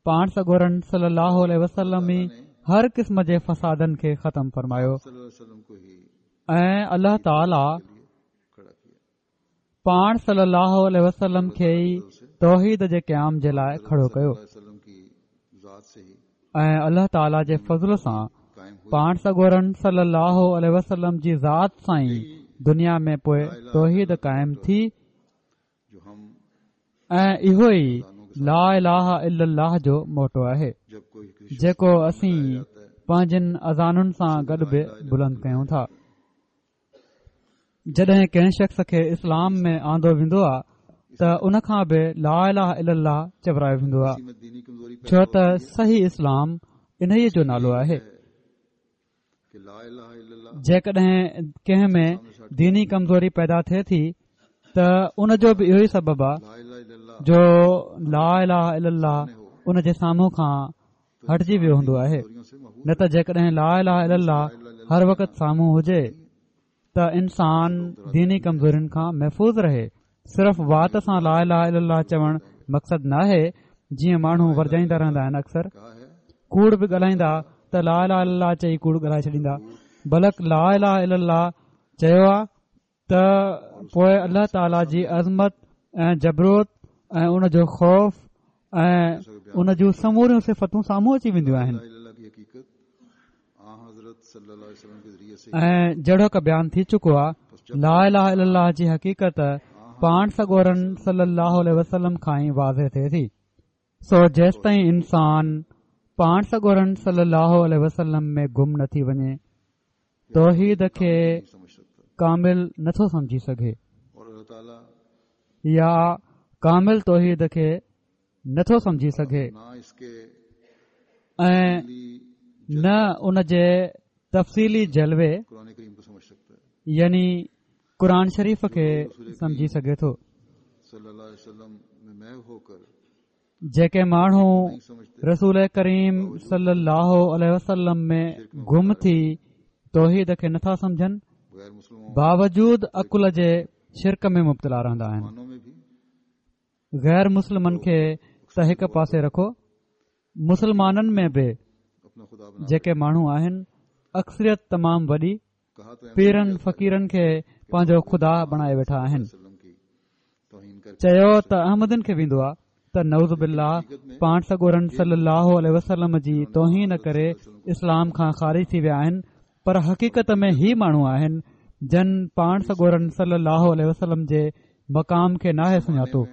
پاڻ سڳورن صلي الله عليه وسلم ئي هر قسم جي فسادن کي ختم فرمايو ۽ الله تعالي پاڻ صلي الله عليه وسلم کي ئي توحيد جي قيام جي لاء کڙو ڪيو ۽ الله تعالي جي فضل سان پاڻ سڳورن صلي الله عليه وسلم جي ذات سان ئي دنيا ۾ پوء توحيد قائم ٿي ۽ اهو ئي لا اله الا الله جو موٽو آهي جيڪو اسين پنهنجن اذانن سان گڏ به بلند ڪيون ٿا. جڏهن ڪنهن شخص کي اسلام ۾ آندو ويندو آهي ته ان کان به لا اله الا الله چورايو ويندو آهي ڇو ته صحيح اسلام انهيء جو نالو آهي. جيڪڏهن ڪنهن ۾ ديني ڪمزوري پيدا ٿئي ٿي ته ان جو به اهو ئي سبب آهي جو لا اله الا الله ان جي سامهون کان هٽجي ويو هوندو آهي نه ته جيڪڏهن لا اله الا الله هر وقت سامهون هجي ته انسان ديني ڪمزورين کان محفوظ رهي صرف وات سان لا اله الا الله چوڻ مقصد ناهي جيئن ماڻهو ورجائيندا رهندا آهن اڪثر ڪوڙ به ڳالهائيندا ته لا اله الا الله چئي ڪوڙ ڳالهائي ڇڏيندا بلڪ لا اله الا الله چيو آ ته پوء الله تعاليٰ جي عظمت ۽ جبروت ۽ ان جو خوف ۽ ان جون سموريون صفتون سامهون اچي وينديون آهن ۽ جهڙوڪ بيان ٿي چڪو آهي لا اله الا الله جي حقيقت پاڻ سڳورن صلي الله عليه وسلم کان ئي واضح ٿئي ٿي سو جيستائين انسان پاڻ سڳورن صلي الله عليه وسلم ۾ گم نه ٿي وڃي توحيد کي ڪامل نٿو سمجهي سگهي يا ڪامل توحيد کي نٿو سمجهي سگهي ۽ نه ان جي تفصيلي جلوي يعني قرآن شريف کي سمجهي سگهي ٿو. جيڪي ماڻهو رسول ڪريم صلي الله عليه وسلم ۾ گم ٿي توحيد کي نٿا سمجهن باوجود عقل جي شرڪ ۾ مبتلا رهندا آهن غير مسلمن کي ته هڪ پاسي رکو مسلمانن ۾ به جيڪي ماڻهو آهن اڪثريت تمام وڏي پيرن فقيرن کي پنهنجو خدا بڻائي ويٺا آهن چيو ته احمدين کي ويندو آهي ته نعوذ بالله پاڻ سڳورن صلي الله عليه وسلم جي توهين ڪري اسلام کان خارج ٿي ويا آهن پر حقيقت ۾ هي ماڻهو آهن جن پاڻ سڳورن صلي الله عليه وسلم جي مقام کي ناهي سڃاتو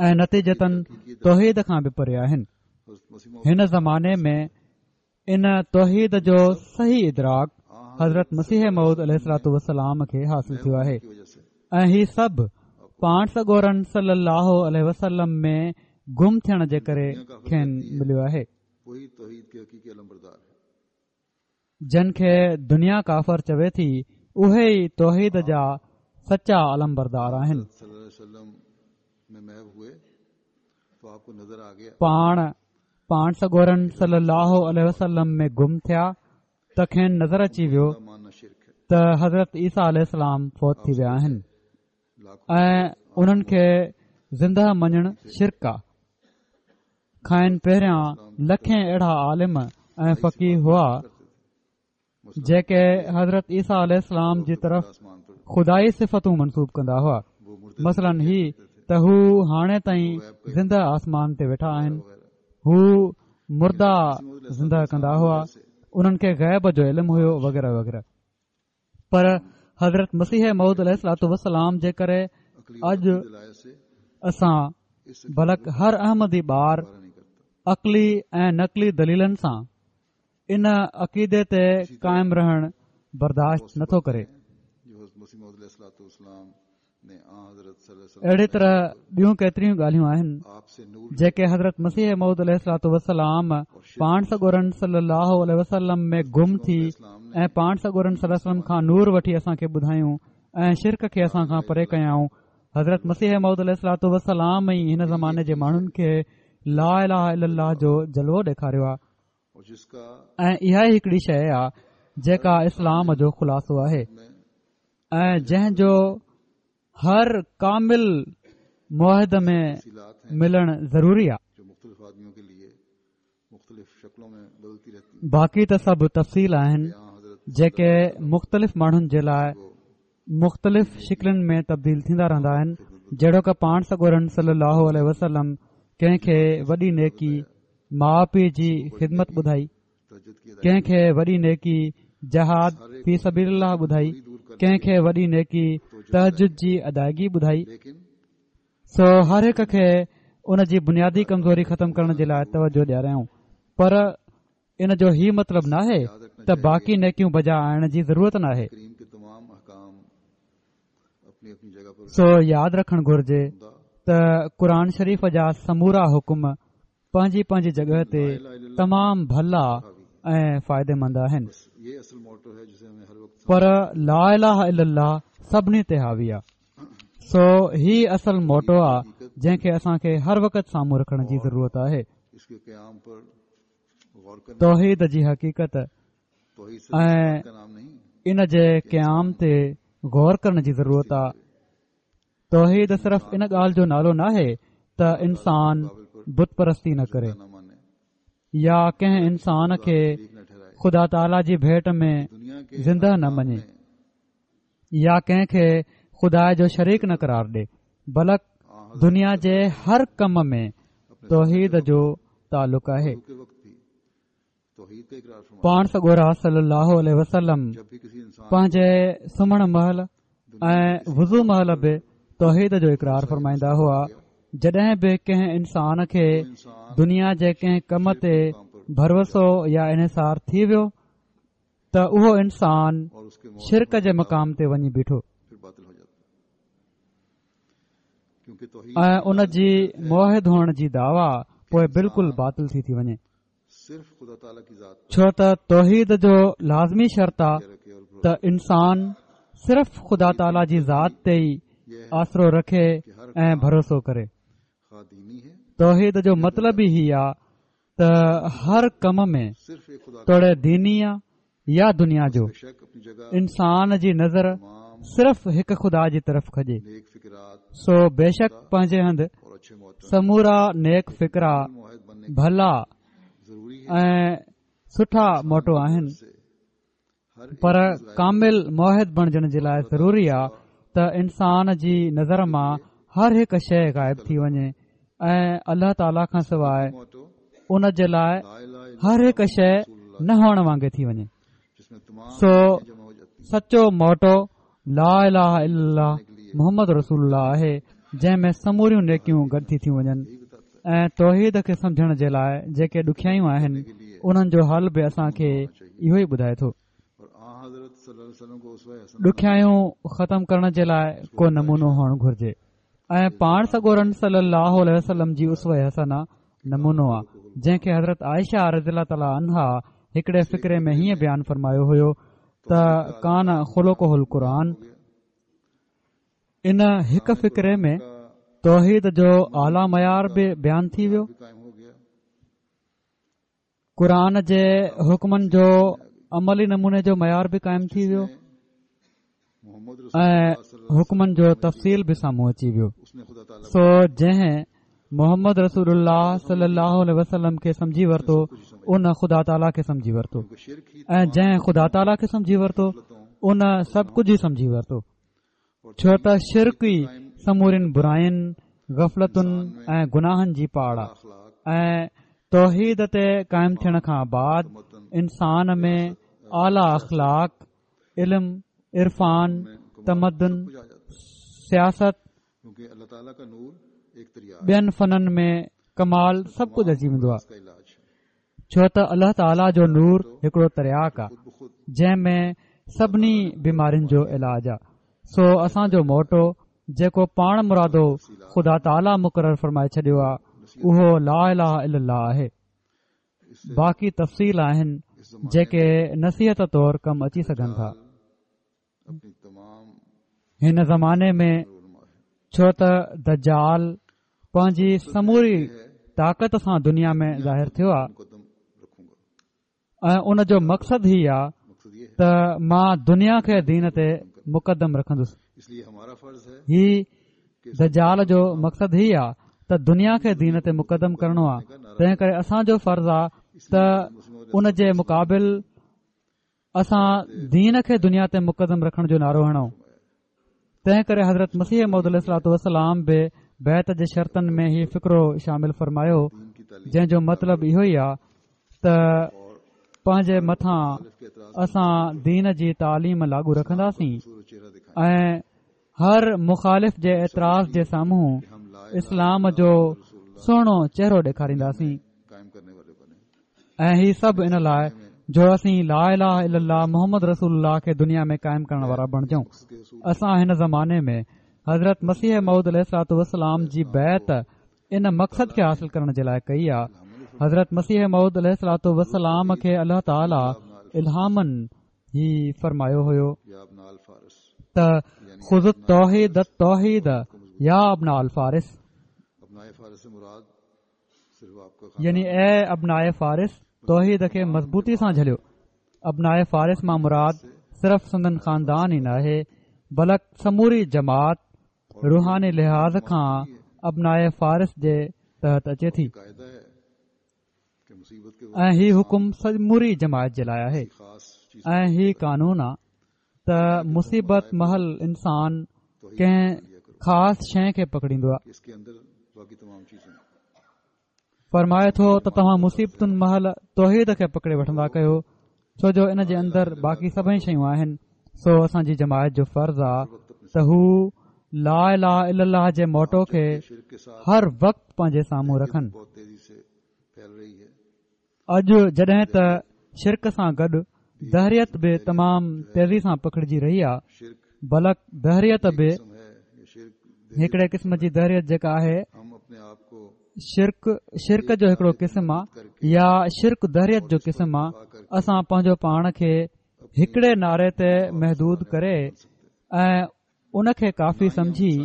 ۽ نتيجتن توحيد کان به پري آهن هن زماني ۾ ان توحيد جو صحيح ادراڪ حضرت مسيح موعود عليه الصلوٰة والسلام کي حاصل ٿيو آهي ۽ هي سڀ پاڻ سڳورن صلي الله عليه وسلم ۾ گم ٿيڻ جي ڪري کين مليو آهي. جن کي دنيا ڪافر چوي ٿي اهي ئي توحيد جا سچا علمبردار آهن. پاڻ پاڻ سڳورن صلي الله عليه وسلم ۾ گم ٿيا ته کين نظر اچي ويو ته حضرت عيسيٰ عليه السلام فوت ٿي ويا آهن ۽ انهن کي زنده مڃڻ شرڪ آ کانئن پهريان لکين اهڙا عالم ۽ فقيه هئا جيڪي حضرت عيسيٰ عليه السلام جي طرف خدائي صفتون منسوب ڪندا هئا مثلاً هي ته هو هاڻي تائين زنده آسمان تي ويٺا آهن هو مردا زنده ڪندا هئا انهن کي غيب جو علم هيو وغيره وغيره پر حضرت مسيح موعود عليه الصلوٰة والسلام جي ڪري اڄ اسان بلڪ هر احمدي ٻار عقلي ۽ نقلي دليلن سان ان عقيدي تي قائم رهڻ برداشت نٿو ڪري. اهڙي طرح ٻيون ڪيتريون ڳالهيون آهن جيڪي حضرت مسيح موعود عليه الصلوة والسلام پاڻ سڳورن صلي الله عليه وسلم ۾ گم ٿي ۽ پاڻ سڳورن صلي وسلم کان نور وٺي اسان کي ٻڌايون ۽ شرڪ کي اسان کان پري ڪيائون. حضرت مسيح موعود عليه الصلوة والسلام ئي هن زماني جي ماڻهن کي لا اله الا الله جو جلوو ڏيکاريو آهي ۽ اها ئي هڪڙي شيء آهي جيڪا اسلام جو خلاصو آهي ۽ جنهن جو هر ڪامل موحد ۾ ملڻ ضروري آهي. باقي ته سڀ تفصيل آهن جيڪي مختلف ماڻهن جي لاء مختلف شڪلين ۾ تبديل ٿيندا رهندا آهن جهڙوڪ پاڻ سڳورن صلي الله عليه وسلم ڪنهن کي وڏي نيڪي ماء پيء جي خدمت ٻڌائي ڪنهن کي وڏي نيڪي جهاد في سبيل الله ٻڌائي ڪنهن کي وڏي نيڪي تهجد جي ادائگي ٻڌائي سو هر هڪ کي ان جي بنيادي ڪمزوري ختم ڪرڻ جي لاء توجه ڏياريائون پر ان جو هي مطلب ناهي ته باقي نيڪيون بجا آڻڻ جي ضرورت ناهي. سو ياد رکڻ گهرجي ته قرآن شريف جا سمورا حڪم پنهنجي پنهنجي جڳهه تي تمام ڀلا ۽ فائديمند آهن پر لا اله الا الله سڀني تي حاوي آهي سو هي اصل موٽو آ جنهن کي اسان کي هر وقت سامهون رکڻ جي ضرورت آهي. توحيد جي حقيقت ۽ ان جي قيام تي غور ڪرڻ جي ضرورت آ. توحيد صرف ان ڳالهه جو نالو ناهي ته انسان بت پرستي نه ڪري يا ڪنهن انسان کي خدا تعاليٰ جي ڀيٽ ۾ زنده نه مڃي. يا ڪنهن کي خدا جو شريڪ نه قرار ڏي بلڪ دنيا جي هر ڪم ۾ توحيد جو تعلق آهي. پاڻ سڳورا صلي الله عليه وسلم پنهنجي سمهڻ مهل ۽ وضو مهل به توحيد جو اقرار فرمائيندا هئا جڏهن به ڪنهن انسان کي دنيا جي ڪنهن ڪم تي ڀروسو يا انحصار ٿي ويو ته اهو انسان شرڪ جي مقام تي وڃي بيٺو ۽ ان جي موحد هئڻ جي دعويٰ پوء بلڪل باطل ٿي ٿي وڃي ڇو ته توحيد جو لازمي شرط آ ته انسان صرف خدا تعاليٰ جي ذات تي ئي آسرو رکي ۽ ڀروسو ڪري توحيد جو مطلب ئي هي آ ته هر ڪم ۾ توڙي ديني آ يا دنيا جو انسان جي نظر صرف هڪ خدا جي طرف کڄي سو بيشڪ پنهنجي هنڌ سمورا نيڪ فڪرا ڀلا ۽ سٺا موٽو آهن پر ڪامل موحد بڻجڻ جي لاء ضروري آ ته انسان جي نظر مان هر هڪ شيء غائب ٿي وڃي ۽ الله تعاليٰ کان سواء ان جي لاء هر هڪ شيء نه هئڻ وانگي ٿي وڃي سو سچو موٽو لا اله الا الله محمد رسول الله آهي جنهن ۾ سموريون نيڪيون گڏ ٿي ٿيون وڃن ۽ توحيد کي سمجهڻ جي لاء جيڪي ڏکيائيون آهن انهن جو حل به اسان کي اهو ئي ٻڌائي ٿو. ڏکيائيون ختم ڪرڻ جي لاء ڪو نمونو هئڻ گهرجي ۽ پاڻ سڳورن صلي الله عليه وسلم جي اسوه حسنه نمونو آ جنهن کي حضرت عائشه رضي الله تعالٰي عنها هڪڙي فقري ۾ هيئن بيان فرمايو هيو ته ڪان خلقه القرآن ان هڪ فقري ۾ توحيد جو اعليٰ معيار به بيان ٿي ويو قرآن جي حڪمن جو عملي نموني جو معيار به قائم ٿي ويو ۽ حڪمن جو تفصيل به سامهون اچي ويو سو جنهن محمد رسول الله صلي الله عليه وسلم کي سمجهي ورتو ان خدا تعاليٰ کي سمجهي ورتو ۽ جنهن خدا تعاليٰ کي سمجهي ورتو ان سڀ ڪجهه ئي سمجهي ورتو ڇو ته شرڪ ئي سمورين براين، غفلتن ۽ گناهن جي پاڙ آ ۽ توحيد تي قائم ٿيڻ کان بعد انسان ۾ اعليٰ اخلاق، علم، عرفان، تمدن، سياست، ٻين فنن ۾ ڪمال سڀ ڪجهه اچي ويندو آ. ڇو ته الله تعاليٰ جو نور هڪڙو ترياق آ جنهن ۾ سڀني بيمارين جو علاج آ سو اسان جو موٽو جيڪو پاڻ مرادو خدا تعاليٰ مقرر فرمائي ڇڏيو آهي اهو لا اله الا الله آهي. باقي تفصيل آهن جيڪي نصيحت طور ڪم اچي سگهن ٿا. هن زماني ۾ ڇو ته دجال پنهنجي سموري طاقت سان دنيا ۾ ظاهر ٿيو آهي ۽ ان جو مقصد هي آهي ته مان دنيا کي دين تي مقدم رکندس. هي دجال جو مقصد هي آ ته دنيا کي دين تي مقدم ڪرڻو آ تنهن ڪري اسان جو فرض آ ته ان جي مقابل اسان دين کي دنيا تي مقدم رکڻ جو نعرو هڻون تنهن ڪري حضرت مسيح موعود عليه الصلوٰة والسلام به بيعت جي شرطن ۾ هي فقرو شامل فرمايو جنهن جو مطلب اهو ئي آ ته پنهنجي مٿان اسان دين جي تعليم لاڳو رکنداسين ۽ هر مخالف جي اعتراض جي سامهون اسلام جو سهڻو چهرو ڏيکارينداسين ۽ هي سڀ ان لاء جو اسين لا اله الا الله محمد رسول الله کي دنيا ۾ قائم ڪرڻ وارا بڻجون. اسان هن زماني ۾ حضرت مسيح موعود عليه الصلوٰة والسلام جي بيعت ان مقصد کي حاصل ڪرڻ جي لاء ڪئي آ. حضرت مسيح موعود عليه الصلوٰة والسلام کي الله تعالي الهاماً هي فرمايو هيو ته خذوا التوحيد التوحيد يا ابناء الفارس يعني اي ابناء فارس توحيد کي مضبوطي سان جهليو. ابناء فارس مان مراد صرف سندن خاندان ئي ناهي بلڪ سموري جماعت روحاني لحاظ کان ابناء فارس جي تحت اچي ٿي ۽ هي حڪم سموري جماعت جي لاء آهي ۽ هي قانون آ ته مصيبت مهل انسان ڪنهن خاص شيء کي پڪڙيندو آ. فرمائي ٿو ته توهان مصيبتن مهل توحيد کي پڪڙي وٺندا ڪيو ڇو جو ان جي اندر باقي سڀئي شيون آهن سو اسان جي جماعت جو فرض آ ته هو لا اله الا الله جي موٽو کي هر وقت پنهنجي سامهون رکن. اڄ جڏهن ته شرڪ سان گڏ دهريت به تمام تيزي سان پکڙجي رهي آ بلڪ دهريت به هڪڙي قسم جي دهريت جيڪا آهي شرڪ شرڪ جو هڪڙو قسم آ يا شرڪ دهريت جو قسم آ اسان پنهنجو پاڻ کي هڪڙي نعري تي محدود ڪري ۽ ان کي ڪافي سمجهي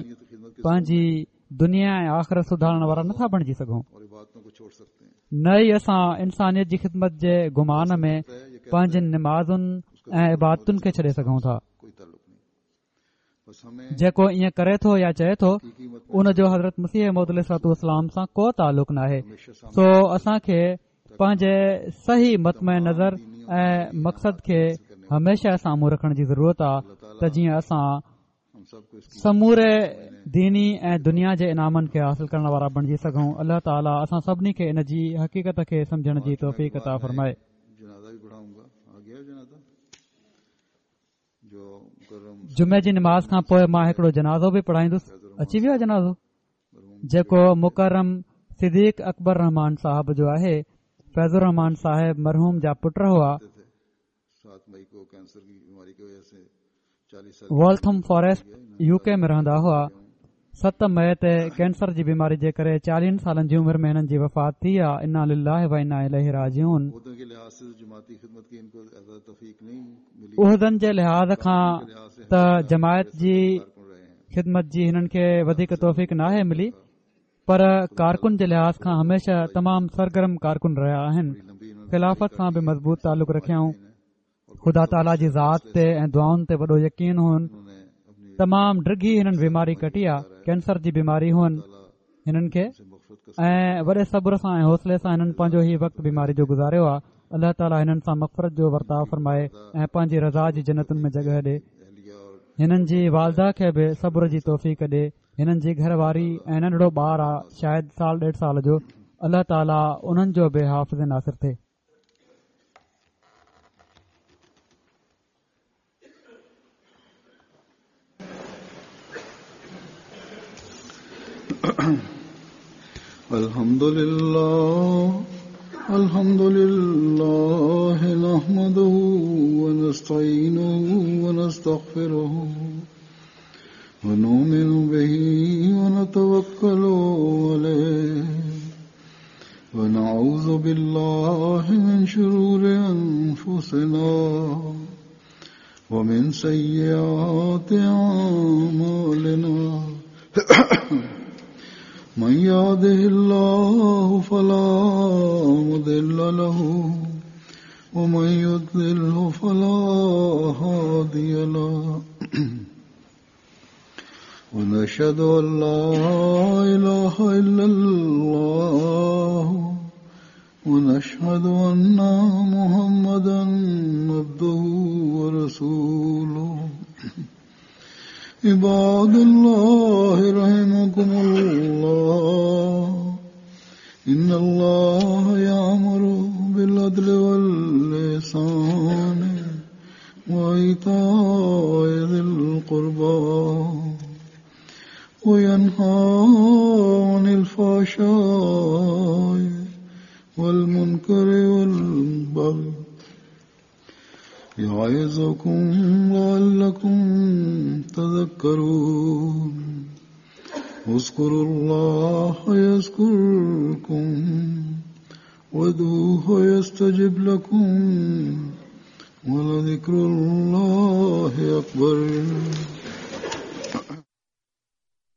پنهنجي دنيا ۽ آخرت سڌارڻ وارا نٿا بڻجي سگهون نه ئي اسان انسانيت جي خدمت جي گمان ۾ پنهنجين نمازن ۽ عبادتن کي ڇڏي سگهون ٿا جيڪو ائين ڪري ٿو يا چئي ٿو ان جو حضرت مسيح موعود عليه الصلوٰة والسلام سان ڪو تعلق ناهي سو اسان کي پنهنجي صحيح مطمع نظر ۽ مقصد کي هميشه سامهون رکڻ جي ضرورت آ ته جيئن اسان سموري ديني ۽ دنيا جي انعامن کي حاصل ڪرڻ وارا بڻجي سگهون. الله تعالي اسان سڀني کي ان جي حقيقت کي سمجهڻ جي توفيق عطا فرمائي. جمعي جي نماز کان پوء مان هڪڙو جنازو به پڙهائيندس. اچي ويو آ جنازو؟ جيڪو مڪرم صديق اڪبر رحمان صاحب جو آهي. فيض الرحمان صاحب مرحوم جا پٽ هئا. والٿم فاريسٽ يو ڪي ۾ رهندا هئا. 7 مئي تي ڪينسر جي بيماري جي ڪري 40 سالن جي عمر ۾ هنن جي وفات ٿي آ. انا لله و انا اليه راجعون. عهدن جي لحاظ کان ته جماعت جي خدمت جي هنن کي وڌيڪ توفيق ناهي ملي پر ڪارڪن جي لحاظ کان هميشه تمام سرگرم ڪارڪن رهيا آهن خلافت سان به مضبوط تعلق رکيائون خدا تعاليٰ جي ذات تي ۽ دعائن تي وڏو يقين هئن تمام ڊگهي هنن بيماري ڪٽي آ ڪينسر جي بيماري هئن هنن کي ۽ وڏي صبر سان ۽ حوصلي سان هنن پنهنجو هي وقت بيماري جو گذاريو آ الله تعاليٰ هنن سان مغفرت جو ورتاء فرمائي ۽ پنهنجي رضا جي جنتن ۾ جڳهه ڏي هنن جي والده کي به صبر جي توفيق ڏي هنن جي گهر واري ۽ ننڍڙو ٻار آ شايد سال ڏيڍ سال جو الله تعاليٰ انهن جو به حافظ ناصر ٿئي. الحمد لله الحمد لله نحمده ونستعينه ونستغفره. ونؤمن به ونتوكل عليه ونعوذ بالله من شرور أنفسنا ومن سيئات أعمالنا من يهده الله فلا مضل له ومن يضلله فلا هادي له ونشهد أن لا إله إلا الله ونشهد أن محمدا عبده ورسوله عباد الله رحمكم الله إن الله يأمر بالعدل والإحسان وإيتاء ذي القربى وينهى عن الفحشاء والمنكر والبغي يعظكم لعلكم تذكرون اذكروا الله يذكركم وادعوه يستجب لكم ولذكر الله أكبر.